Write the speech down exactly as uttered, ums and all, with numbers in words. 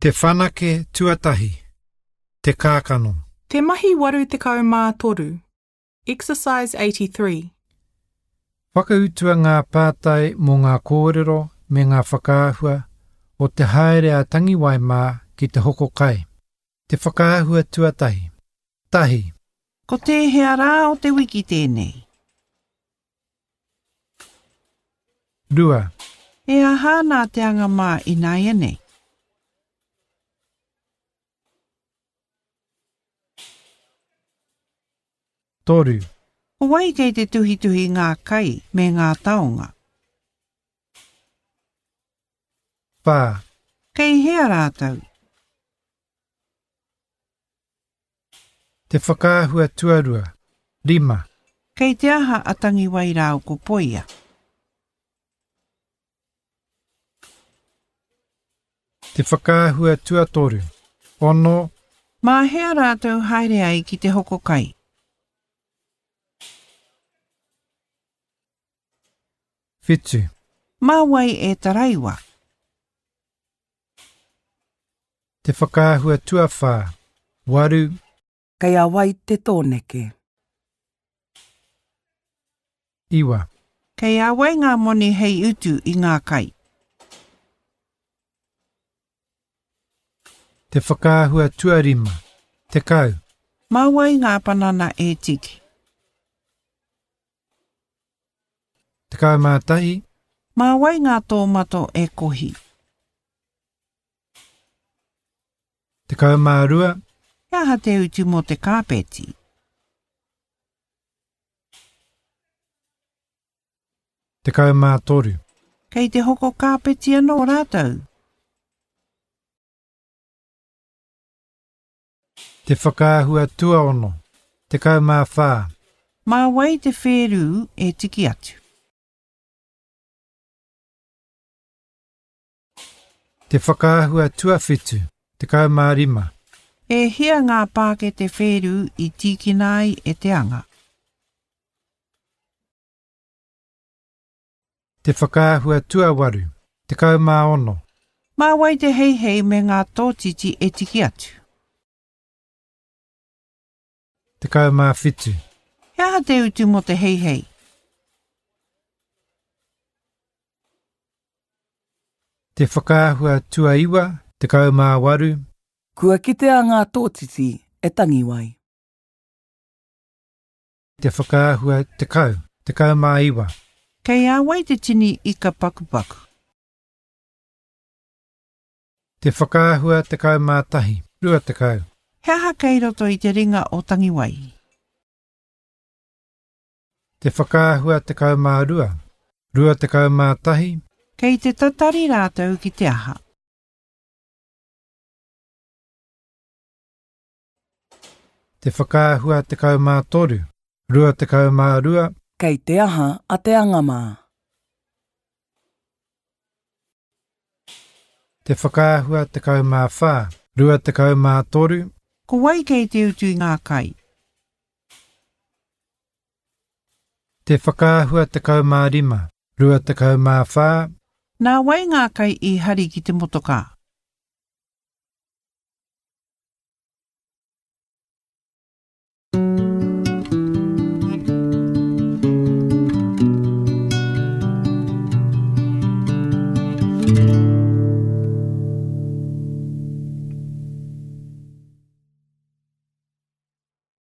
Te whanake tuatahi. Te kākano. Te mahi waru tekau mā toru. Exercise eighty-three. Whakautua ngā pātai mō ngā kōrero me ngā whakaahua o te haere a Tangiwai mā ki te hoko kai. Te whakaahua tuatahi. Tahi. Ko tēhea rā o te wiki tēnei? Rua. E aha nā te anga mā ināianei? Toru. Ko wai kei te tuhituhi ngā kai me ngā taonga? Whā. Kei hea rātou? Te whakaahua tuarua. Rima. Kei te aha a Tangiwai rāua ko Poia? Te whakaahua tuatoru. Ono. Mā hea rātou haere ai ki te hoko kai? Whitu. Mā wai e taraiwa? Te whakaahua tuawhā. Waru. Kei a wai te tōneke. Iwa. Kei a wai ngā moni hei utu i ngā kai? Te whakaahua tuarima. Tekau. Mā wai ngā panana e tiki? Tekau mā tahi. Mā wai ngā tōmato e kohi? Tekau mā rua. He aha te utu mō te kāpeti? Tekau mā toru. Kei te hoko kāpeti anō rātou? Te whakaahua tuaono. Tekau mā whā. Mā wai te whērū e tiki atu? Te whakaahua tuawhitu. Tekau mā rima. E hia ngā pākete whērū i tīkina ai e te anga? Te whakaahua tuawaru. Tekau mā ono. Mā wai te heihei me ngā tōtiti e tiki atu? Tekau mā whitu. He aha te utu mō te heihei? Te whakaahua tuaiwa, tekau mā waru. Kua kitea ngā tōtiti e Tangiwai. Te whakaahua tekau, tekau mā iwa. Kei a wai te tini ika pakupaku? Te whakaahua tekau mā tahi, rua tekau. He aha kei roto i te ringa o Tangiwai? Te whakaahua tekau mā rua, rua tekau mā tahi. Kei te tatari rātou ki te aha? Te whakaahua tekau mā toru, rua tekau mā rua. Kei te aha a te anga mā? Te whakaahua tekau mā whā, rua tekau mā toru. Ko wai kei te utu i ngā kai? Te whakaahua tekau mā rima, rua tekau mā whā. Nā wai ngā kai i hari ki te motokā?